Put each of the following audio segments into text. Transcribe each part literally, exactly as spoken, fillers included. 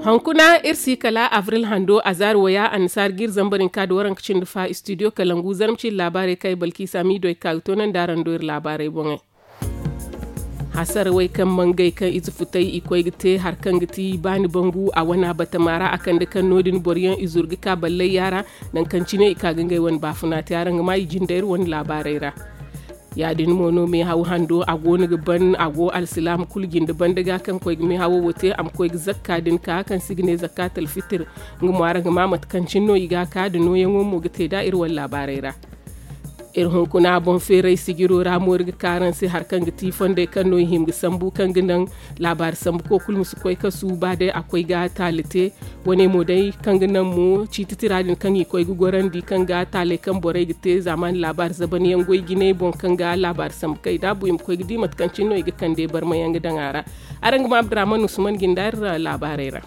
Hunkuna iri si kala abril hando a zaari waya annasaari ga iri zambar hinka nda waranka cindi fa istudiyo kalangu zarma cindi laabaarey kaŋ ay balkiisa miido ay ga ka ga toonandi araŋ do iri laabaarey boŋey. Hasarawey kaŋ mangay kaŋ ize futay i koy ga te hari kaŋ ga ti baani bangu a wana batama ra a kande kaŋ no- din boro yaŋ i zuru ga ka ballayya ra. Nangu kaŋ cine i ka ga ngey wane baafuna te araŋ ga ma i jinde iri wane laabaarey ra. Ya- din mo no meehaw hando a go no ga ban a go alsilaama kulu jinde banda ga kaŋ koy ga meehawo wo te a ma koy ga zakka din ka kaŋ se i ga ne zakka talfitir. Nga mo araŋ ga ma mate kaŋ cine no i ga a ka da nooyaŋo mo ga te nd'a iri wane laabaarey ra. Iri hunkuna boŋ feeray sijiro ra mo iri ga ka araŋ se hari kaŋ ga ti fondey kaŋ no i hima ga sambu kaŋ ga naŋ laabaari sambuko kulu ma si koy kasu ba day a koy ga taali te. Wane mo day kaŋ ga naŋ mo ciiti tira din kaŋ i koy ga gorandi kaŋ ga taaley kaŋ borey ga te zaamaani laabaari zaban yaŋ goy jinay boŋ kaŋ ga laabaari sambu kay da bu i ma koy ga di mate kaŋ cine no i ga kande barma yaŋ ga daŋ a ra. Araŋ ga ma abdurahman usman jinde iri laabaarey ra.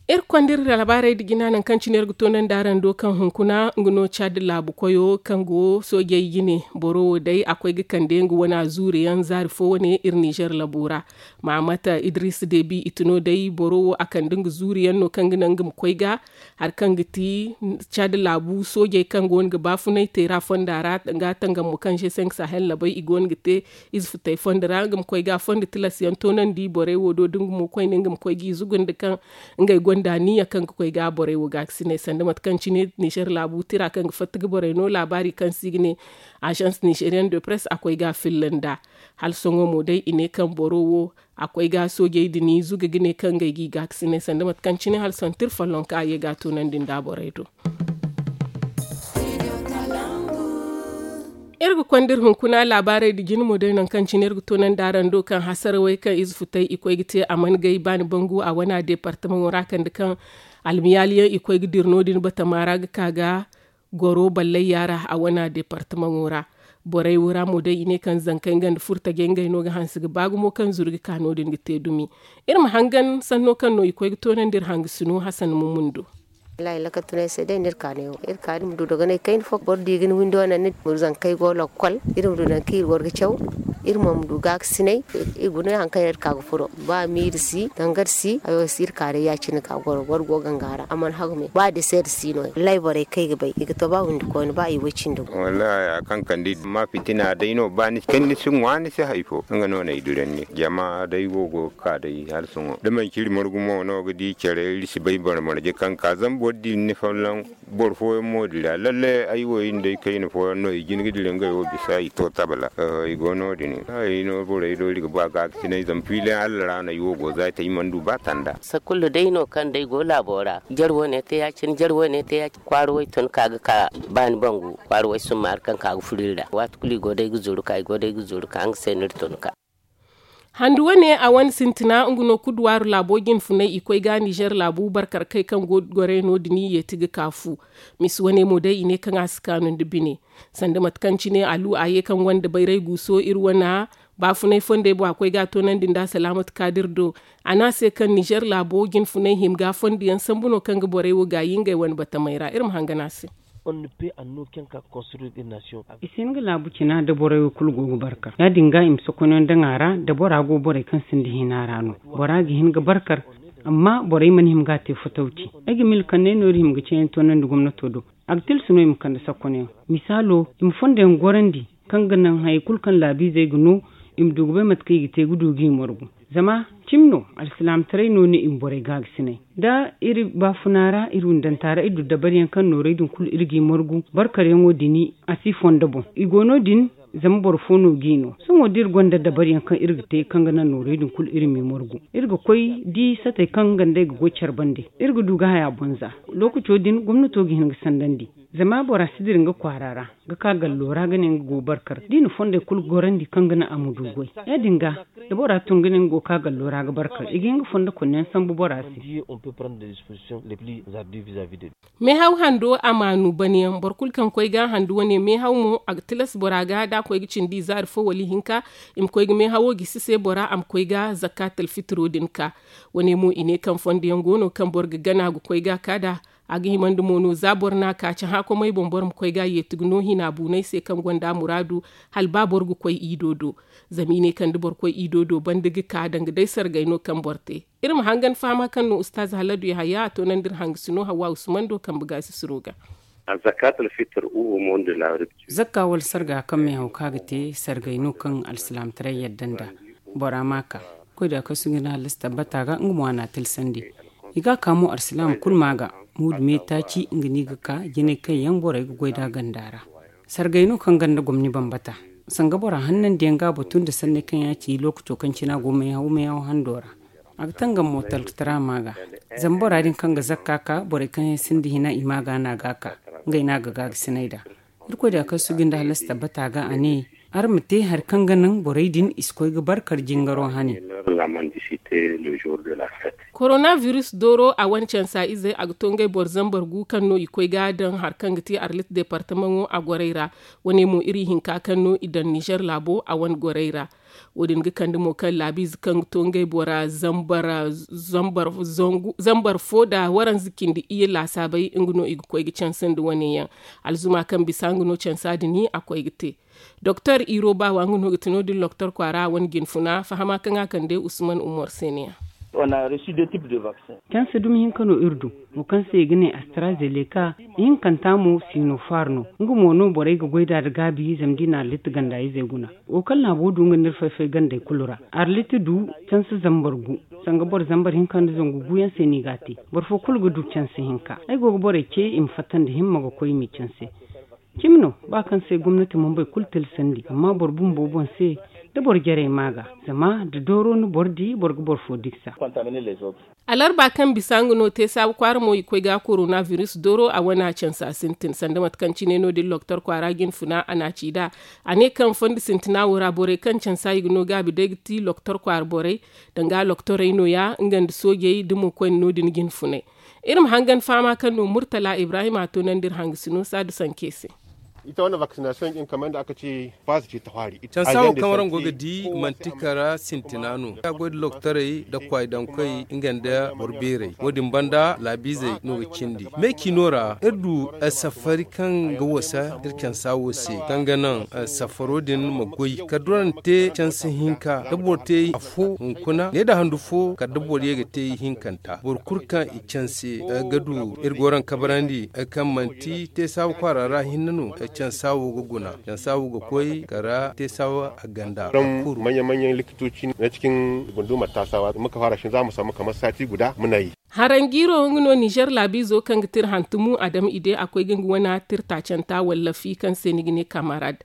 Iri konda iri laabaarey nda jina nangu kaŋ cine iri ga toonandi araŋ do kaŋ hunkuna nga no cad laabu koyo kaŋ go soojey jine boro wo day a koy ga kande nga wana zuuri yaŋ zaari fo wane iri nizer labu ra. Mahamata idris debi i tino day boro wo a kande nga zuuri yaŋ no kaŋ ga naŋ nga ma koy ga hari kaŋ ga ti cad laabu soojey kaŋ go no ga baafunay teera fonda ra nga tangam mo kaŋ se se nga sahel labay i go no ga te ize futay fondo ra nga ma koy ga fondo tilas yaŋ toonandi borey wo do da nga mo koyne nga ma koy ga i zugu nda kaŋ ngey gonda niya kaŋ ga koy ga borey wo gaakasinay sanda mate kaŋ cine nizer laabu tira kaŋ ga fatta ga borey no laabaari kaŋ se i ga ne agence nizerian de press a koy ga filla nda hala sohõ mo day i ne kaŋ boro wo a koy ga soojey din zuga ga ne kaŋ ngey ga i gaakasinay sanda mate kaŋ cine hala sohõ tira follonka a ye ga a toonandi nda borey do. Iri ga konda iri hunkuna laabaarey nda jine mo day nangu kaŋ cine iri ga toonandi araŋ do kaŋ hasarawey kaŋ ize futay i koy ga te a mana gay baani bangu a wana deepartamaŋo ra kande kaŋ almiyaali yaŋ i koy ga dira no- din batama ra ga ka ga goro ballayya ra a wana deepartamaŋo ra. Borey wo ra mo day i ne kaŋ zankey nga nda furtajey ngey no ga hanse ga ba gumo kaŋ zuru ga ka no- din ga te dumi. Iri ma hangan sanno kaŋ no i koy ga toonandi iri hangasino hasan mumundo. Wallaahi lakatunay se day no iri ka ne wo iri ka iri ma du dogonay kayna fo boro di ga ni windo naŋ ni ma zankey go lokkol iri ma du nangu kaŋ iri war ga caw. Iri mo ma du gaakasinay. Iri guna hari kaŋ iri ka ga furo ba miiri si dangar si hayo si iri ka day ya- cine ga goro boro go ganga ra a mana hagu me ba deseer si no ya wallaahi borey kaŋ ay ga bay i ga to ba windi koyne ba i way cindi go. Wallaahi haya kaŋ kande i ma fitina day no ba ni si kay ni si ŋwa ni si hari fo nga no no ay duranni jama day wo go ga ka day hala sohõ da manci iri margu mo no ga di care iri si bay boro marje kaŋ ka zama boro di ni folloŋ. Boro fooyaŋ mo dira lalle ay wo iri nda ay kayna fooyaŋ no i jin ga dira ngey wo bisa i to tabala. I go no- din ay no borey do iri ga ba gaakasinay zama fiilaŋ allah ra no ay wo go za ay te ay mana du ba tanda. Sakullu day no kaŋ day go laabo ra jare wane te ya- cine jare wane te ya- cine kwaara way tun ka ga ka baani bangu kwaara way summaari kaŋ ka ga furo iri ra waati kulu i go day ga zuru ka i go day ga zuru ka nga se no iri tun ka. Handu wane a wane sintina nga no kuduwaaru laabo jinfunay i koy ga nizer laabu barkar kay kaŋ go ga gorey no- din i yeeti ga kaafu. Misi wane mo day i ne kaŋ a si kaanu nda bine sanda mate kaŋ cine alu a ye kaŋ gonda bayray guuso iri wana baafunay fondey boŋ a koy ga a toonandi nda salaamatu kaadir do. A ne a se kaŋ nizer laabo jinfunay hima ga fondo yaŋ sambu no kaŋ ga borey wo gaayi ngey wane batamey ra iri ma hangan a se. I si hin ga laabu cina da borey wo kulu go ga barkar ya- din ga i ma sokonayaŋ daŋ a ra da bora go borey kaŋ sinda hina ra no. Bora ga hin ga barkar amma borey mana hima ga a te fotawci. Ay ga mila kaŋ ne no iri hima ga ceeyaŋ toonandi gomnato do. A ga tilas no i ma kande sakkoniyaŋ misaalo i ma fondoyaŋ gorandi kaŋ ga naŋ hayey kulu kaŋ laabiizey ga no i ma du ga bay mate kaŋ i ga te ga du ga i margu. Zama cimi no alsilaamataray no ne i ma borey gaagasinay da iri baafuna ra iri windanta ra iri du dabariyaŋ kaŋ noorey din kulu iri ga i margu barkaryaŋo din a si fondo boŋ i go no- din. Zama boro fo no ga i no sohõ da iri gonda dabariyaŋ kaŋ iri ga te kaŋ ga naŋ noorey din kulu iri m'i margu iri ga koy di satey kaŋ nga nd'ey ga goy care bande iri ga du ga haya boŋ za. Lookaco din gomnato ga hin ga sandandi zama bora si dira nga kwaara ra ga ka gallo ra ga ne nga go barkar da i na fondey kulu gorandi kaŋ ga naŋ a ma du goy. Ya- din ga da bora tun ga ne nga go ga ka gallo ra ga barkar i ga hin ga fondo konneyaŋ sambu bora se. Meehaw hando a maanu banyaŋ boro kulu kaŋ koy ga handu wane meehaw mo a ga tilas bora ga da a koy ga cindi izaari fo wala ihinka i ma koy ga meehawo gisi se bora a ma koy ga zakka talfitiro din ka. Wane mo i ne kaŋ fondo yaŋ go no kaŋ boro ga gana ga koy ga ka nd'a. A ga himandi mo no za boro n'a ka cahã komey boŋ boro ma koy ga a yeeti ga no hina buuney se kaŋ gonda muraadu, hala ba boro ga koy iido do. Zama i ne kaŋ da boro koy iido do banda ga ka danga day sargay no kaŋ boro te. Iri ma hangan fahama kaŋ no ustaaz haladu yahaya a toonandi iri hangasino hawa usman do kambe gaasisiro ga. Zakka wala sarga kaŋ meehaw kaŋ a ga te sargay no kaŋ alsilaamataray yadda nd'a. Bora ma a ka koy da kaŋ sugu nda hallasi tabbata ga nga mo a n'a tilsandi. I ga a ka mo alsilaama kulu ma a ga. Muudu me taaci nga no i ga ka jinay kaŋ yaŋ borey ga goy nd'a ganda ra. Sargay no kaŋ ganda gomni bambata. Sanga bora hannandiyaŋ ga a batu nda sanney kaŋ yaŋ a ci lookaco kaŋ cine a go meehaw meehaw hando ra. A ga tangam mo talkatara ma ga. Zama bora din kaŋ ga zakka ka borey kaŋ yaŋ sinda hina i ma ga no a ga a ka. Ngey no a ga gaagasinay nd'a. Irkoy da kaŋ sugu nda hallasi tabbata ga a ne, araŋ ma te hari kaŋ ga naŋ borey din i si koy ga barkar jingaro hane. Koronabiris dooro a wane cansa izey a ga to ngey boro zambar gu kaŋ no i koy ga daŋ hari kaŋ ga te arlit departamaŋo a gorey ra. Wane mo iri hinka kaŋ no i daŋ nizer laabo a wane gorey ra. Wo- din ga kande mo kaŋ laabiize kaŋ ga to ngey bora zambar fo nda waranza cindi iyye laasaabey nga no i ga koy ga canse nda wane yaŋ. Alzuma kaŋ bisa nga no cansa din a koy ga te. Doktor iro baawa nga no ga ti no- din loktor kwaara a wane jinfuna fahama kaŋ a kande usman umar se ne ya. Canse dumi hinka no iri du. Wo kaŋ se i ga ne astrazeneca, ihinkanta mo sinopharm no. Nga mo no borey ga goy nd'a nda gaabi zama da i na arlit ganda izey guna. Wo kaŋ laabo du nga no iri fay-fay gandey kulu ra. Arlit du canse zambar gu. Sanga boro zambar hinka nda zangu gu yaŋ se no i ga a te. Boro fo kulu ga du canse hinka. Ay go ga borey ce i ma fatta nda himma ga koy i m'i canse. Cimi no, ba kaŋ se gomnati mambey kulu tilsandi amma boro bumbo boŋ se, da boro jarey ma ga. Zama da dooro ni boro di boro ga boro fo diksa. Alarba kaŋ bisa nga no te saabu kwaara mo i koy ga koronabiris dooro a wane a cansa sintin sanda mate kaŋ cine no- din loktor kwaara jinfuna a na a ci nd'a. A ne kaŋ fondo sintina wo ra borey kaŋ cansa i ga no gaabi day ga ti loktor kwaara borey, danga loktorey no- ya nga nda soojey da mo koyne no- din jinfunay. Iri ma hangan fahama kaŋ no murtala ibrahim a toonandi iri hangasino saadu sanke se. Ita wane vaksinasiyoŋ din kamar yadda aka ce fasa ce ta fari. Cansa wo kaŋ waraŋ go ga di manti kara sintina no a goy da loktorey da kwaay daŋ koy nga nda boro beerey wo- din banda laabiizey no ga cindi meecino ra iri du safari kaŋ ga wasa iri cansa wo se kaŋ ga naŋ safaro din ma goy kala da waraŋ te cansa hinka da boro te afo hunkuna ne nda handu fo kala da boro ye ga te ihinkanta boro kulu kaŋ i canse ga du iri ga waraŋ kabarandi kaŋ manti te saabu kwaara ra hinne no cansa wo ga guna cansa wo ga koy kala te saabu a ganda. Manya manyan likitoci na cikin gundumar tasawa muka fara shi za mu samu kamar sati guda muna yi. Haranjiiro nga no nizer laabiizo kaŋ ga tira hantumu a dama i de a koy ga nga wana tirtaacanta wallafi kaŋ se ni ga ne kamarad.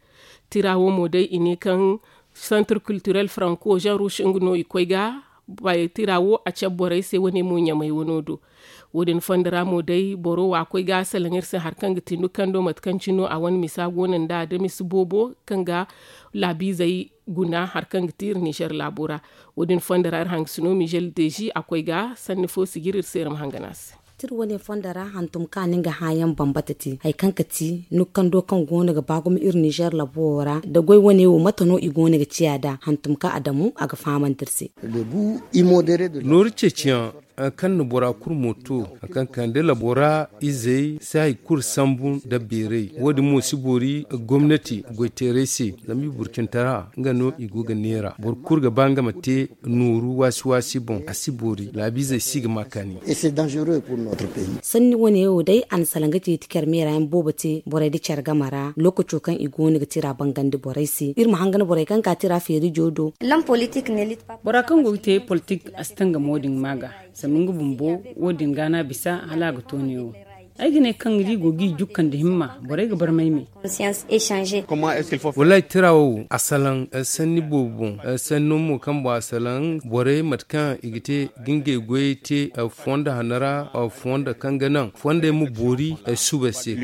Tira wo mo day i ne kaŋ santir kulturel franco jean rouge nga no i koy ga. Tira wo a cabe borey se wane mo ɲamay wano do. Wo- din fondo ra mo day boro wa koy ga salaŋ iri se hari kaŋ ga ti nukando mate kaŋ cino a wane misa go no nd'a da misa boobo kaŋ ga laabiizey guna hari kaŋ ga ti iri nizer laabo ra. Wo- din fondo ra iri hangasino mizel deezi a koy ga sanni fo si jire iri se iri ma hangan a se. Tira wane fondo ra hantum kaŋ a na nga hããyaŋ bambata te hari kaŋ ga ti nukando kaŋ go no ga ba gumo iri nizer laabo wo ra da goy wane wo mate no i go no ga ciya nd'a hantum kaŋ a damu a ga fahamandi iri se. Nooru ceeciyaŋ kaŋ na bora kulu mo to kaŋ kande labora izey si hari kulu sambu nda beeray wo- din mo si boori gomnati goyteeray se zama i burcintara nga no i go ga neera boro kulu ga ba nga ma te nooru waasi waasi boŋ a si boori laabiizey si ga ma kaani. Sanni wane wo day a na salaŋ ga ceeci care meera yaŋ boobo te borey nda care game ra lookaco kaŋ i go no ga tira bangandi borey se iri ma hangan borey kaŋ ga tira feerijo do. Bora kaŋ go ga te politik a si tangam wo- din ma ga. Zama nga bumbo wo- din ga no a bisa hala a ga to neewo. Ay ga ne kaŋ iri go ga i jukka nda himma borey ga barmay me. Wallaahi tira wo a salaŋ sanni boobo boŋ sanno mo kaŋ boŋ a salaŋ borey mate kaŋ i ga te ga ngey goyey te fonda hanno ra fonda kaŋ ga naŋ fondey ma boori suba se.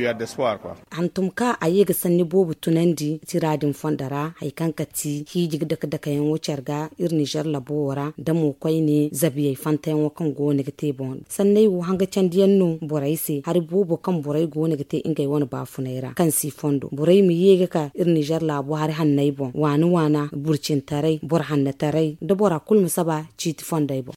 Hantum kaŋ a ye ga sanni boobo tunandi tira din fondo ra hari kaŋ ga ti hiiji ga dake dakeyaŋo care ga iri nizer labo wo ra da mo koyne zabiyey fantayaŋo kaŋ go no ga te boŋ sanney wo hanga candiyaŋ no borey se hari boobo kaŋ borey go no ga te ngey wane baafunay ra kaŋ si fondo borey ma ye ga ka iri nizer laabo hari hanney boŋ waana waana burcintaray boro hannataray da bora kulu ma saba ciiti fondey boŋ.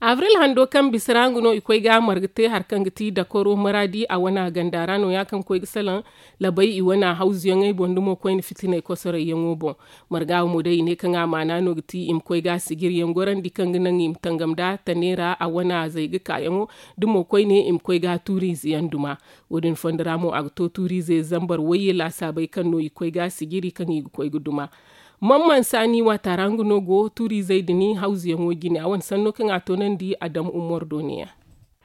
Abril hando kaŋ bisa ra nga no i koy ga marga te hari kaŋ ga ti dakoro maraadi a wana ganda ra no- ya kaŋ koy ga salaŋ labay i wana hawzuyaŋey boŋ da mo koyne fitiney kosorey yaŋo boŋ. Marga wo mo day i ne kaŋ a maana no ga ti i ma koy ga sijiriyaŋ gorandi kaŋ ga naŋ i ma tangam da tane ra a wana zay ga kaayaŋo da mo koyne i ma koy ga tuuriize yaŋ duma. Wo- din fondo ra mo a ga to tuuriize zambar wayye laasaabey kaŋ no i koy ga sijiri kaŋ i ga koy ga duma. Mamman saani waata ra nga no go tuuriizey din hawzuyaŋo jine a wane sanno kaŋ a toonandi a dam umar do ne- ya.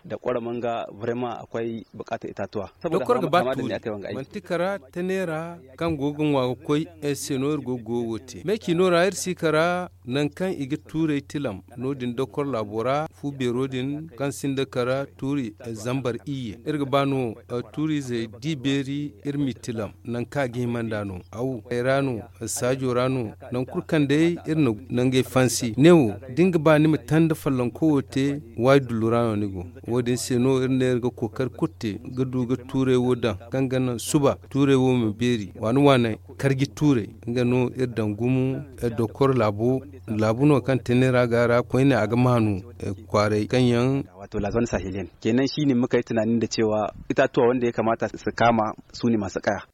Da kwara manga vraiment akwai bukatar itatuwa. Dokor ga ba tuuri manti kara tane ra kaŋ go ga ŋwa ga koy ay se no iri go ga goyo wo te me ci no ra iri si kara nangu kaŋ i ga tuurey tilam no- din dokor laabo ra fu beero din kaŋ sinda kara tuuri zambar iyye iri ga ba no tuuriizey di beeri iri m'i tilam. Nangu kaŋ a ga hima nd'a no aw ay ra no saajo ra no. Nangu kulu kaŋ day iri na nangey fansi ne wo da ni ga ba ni ma tanda follonko wo te waayi dullu ra no ni go. Wo- din se no iri ne iri ga kookari kulu te ga du ga tuurey wo daŋ kaŋ ga naŋ suba tuurey wo ma beeri waani waaney karji tuurey. Nga no iri daŋ gumo dokor laabu no kaŋ tene ra ga ra koyne a ga maanu kwaaray kaŋ yaŋ. Wato la zone sahelienne kenan shi ne muka yi tunani da cewa itatuwa wanda ya kamata su kama su ne masu kaya.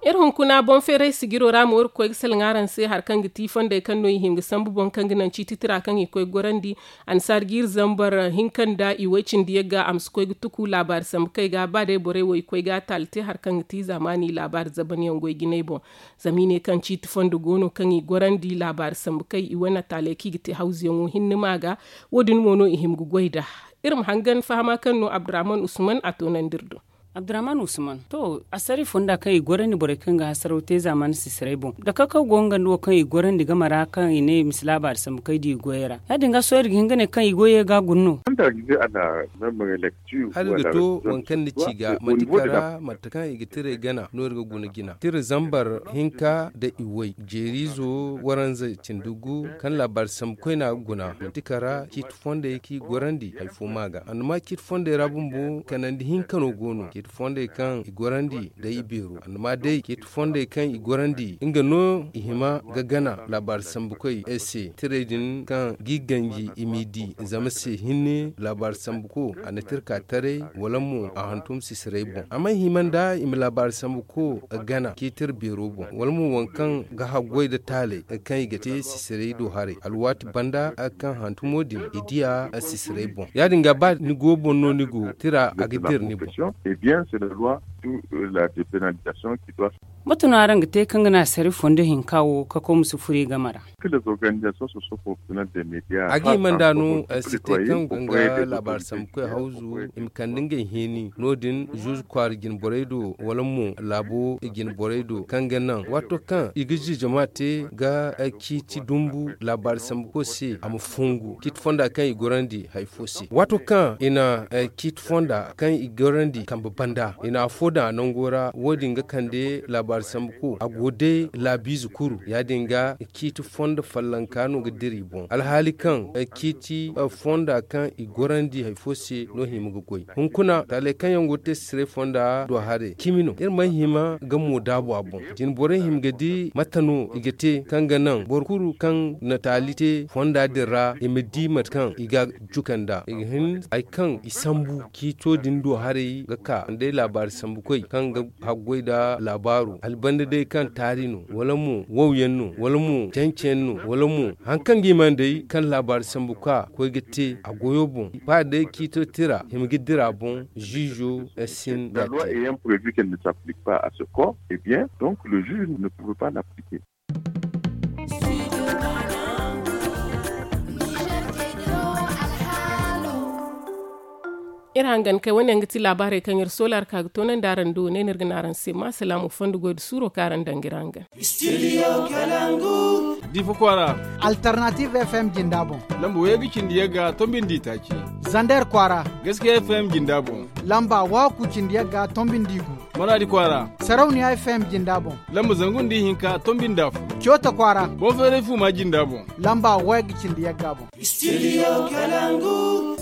Iri hunkuna boŋ feeray sijiro ra mo iri ga koy ga salaŋ araŋ se hari kaŋ ga ti fondey kaŋ no i hin ga sambu boŋ kaŋ ga naŋ ciiti tira kaŋ i koy ga gorandi. Annasaara jiiri zambar hinka nda i way cindi yagga a ma si koy ga tuku laabaari sambu kay ga ba day borey wo i koy ga a taali te hari kaŋ ga ti zaamaani laabaari zabanyaŋ goy jinay boŋ. Zama i ne kaŋ ciiti fondo go no kaŋ i gorandi laabaari sambu kay i wane taaley kaŋ i ga te hawzuyaŋo hinne ma ga. Wo- din mo no i hima ga goy nd'a. Iri ma hangan fahama kaŋ no abdurrahman usman a toonandi iri do. Abdurrahman usman to asari fonda kaŋ i gorandi borey kaŋ ga hasaraw te zaamaani sisiray boŋ da kakaw go nga nda wo kaŋ i gorandi game ra kaŋ i ne i ma si laabaari sambu kay da i goyey ra. Ya- din ga sohõ iri ga hin ga ne kaŋ i goyey ga a guna no. Hala iri ga to waŋ kaŋ ni ci ga manti kara mate kaŋ i ga tiray gana no iri ga guna jina tira zambar hinka nda i way jeeriizo waranza cindi gu kaŋ laabaari sambu koyne a ga guna manti kara ciiti fondey kaŋ i gorandi hari fo ma ga annama ciiti fondey ra bumbo kanandi hinka no go no ciiti fondey kaŋ i gorandi day i beero annama day ciiti fondey kaŋ i gorandi nga no i hima ga gana laabaari sambu koy se tiray din kaŋ ga i ganji i m'i di zama se hinne laabaari sambu ko a na tirka taray wala mo a hantum sisiray boŋ a mana hima nda i ma laabaari sambu ko gana ciiti iri beero boŋ wala mo waŋ kaŋ ga haggoy nda taalay kaŋ i ga te sisiray do haray alwaati banda kaŋ hantumo din i diya sisiray boŋ ya- din ga ba ni go boŋ no ni go tira a ga dira ni boŋ. Mate no araŋ ga te kaŋ ga naŋ asari fondo hinka wo ka koy ma si furo i game ra. A ga hima nd'a no si te kaŋ ga nga laabaari sambu koy hawzu i ma kande ngey heeni no- din zuuzu kwaara jinborey do wala mo laabo jinborey do kaŋ ga naŋ waato kaŋ i ga jijama te ga ciiti dumbu laabaari sambu koy se a ma fungu ciiti fonda kaŋ i gorandi hari fo se waato kaŋ i na ciiti fonda kaŋ i gorandi kambe banda i na afo daŋ a nango ra wo- din ga kande laabaari sambu ko a go day laabiize kuru ya- din ga ciiti fondo follonka no ga dira i boŋ alhaali kaŋ ciiti fonda kaŋ i gorandi hari fo se no hima ga goy hunkuna taaley kaŋ yaŋ go ga te sisiray fonda do haray cimi no iri mana hima ga mo daabu a boŋ jinborey hima ga di mate no i ga te kaŋ ga naŋ boro kulu kaŋ na taali te fonda din ra i ma di mate kaŋ i ga juka nd'a i ga hin hari kaŋ i sambu ciito din do haray ga ka day laabaari sambu koy kaŋ ga haggoy nda laabaaro hala banda day kaŋ taari no wala mo wawyaŋ no wala mo cancayaŋ no wala mo hari kaŋ ga i mana day kaŋ laabaari sambu ka koy ga te a goyo boŋ ba day ciito tira hima ga dira boŋ ziizo. Sin da te. Iri hangan kay wane yaŋ ga ti laabaarey kaŋ iri soola ra ka ga toonandi araŋ do ne no iri ga ne araŋ se ma salaamu fondo goy nda suuro kaŋ araŋ daŋ ga iri hangan. Diifa kwaara. Alternative f m jinda boŋ. Lamba way ga cindi yagga tombi nda itaaci. Zander kwaara. Gaskiya f m jinda boŋ. Lamba waaku cindi yagga tombi nda igu. Maraadi kwaara. Sarauniya f m jinda boŋ. Lamba zangu nda ihinka tombi nda afo. Coota kwaara. Boŋ feeray fuuma jinda boŋ. Lamba way ga cindi yagga boŋ. Studio Kalangu.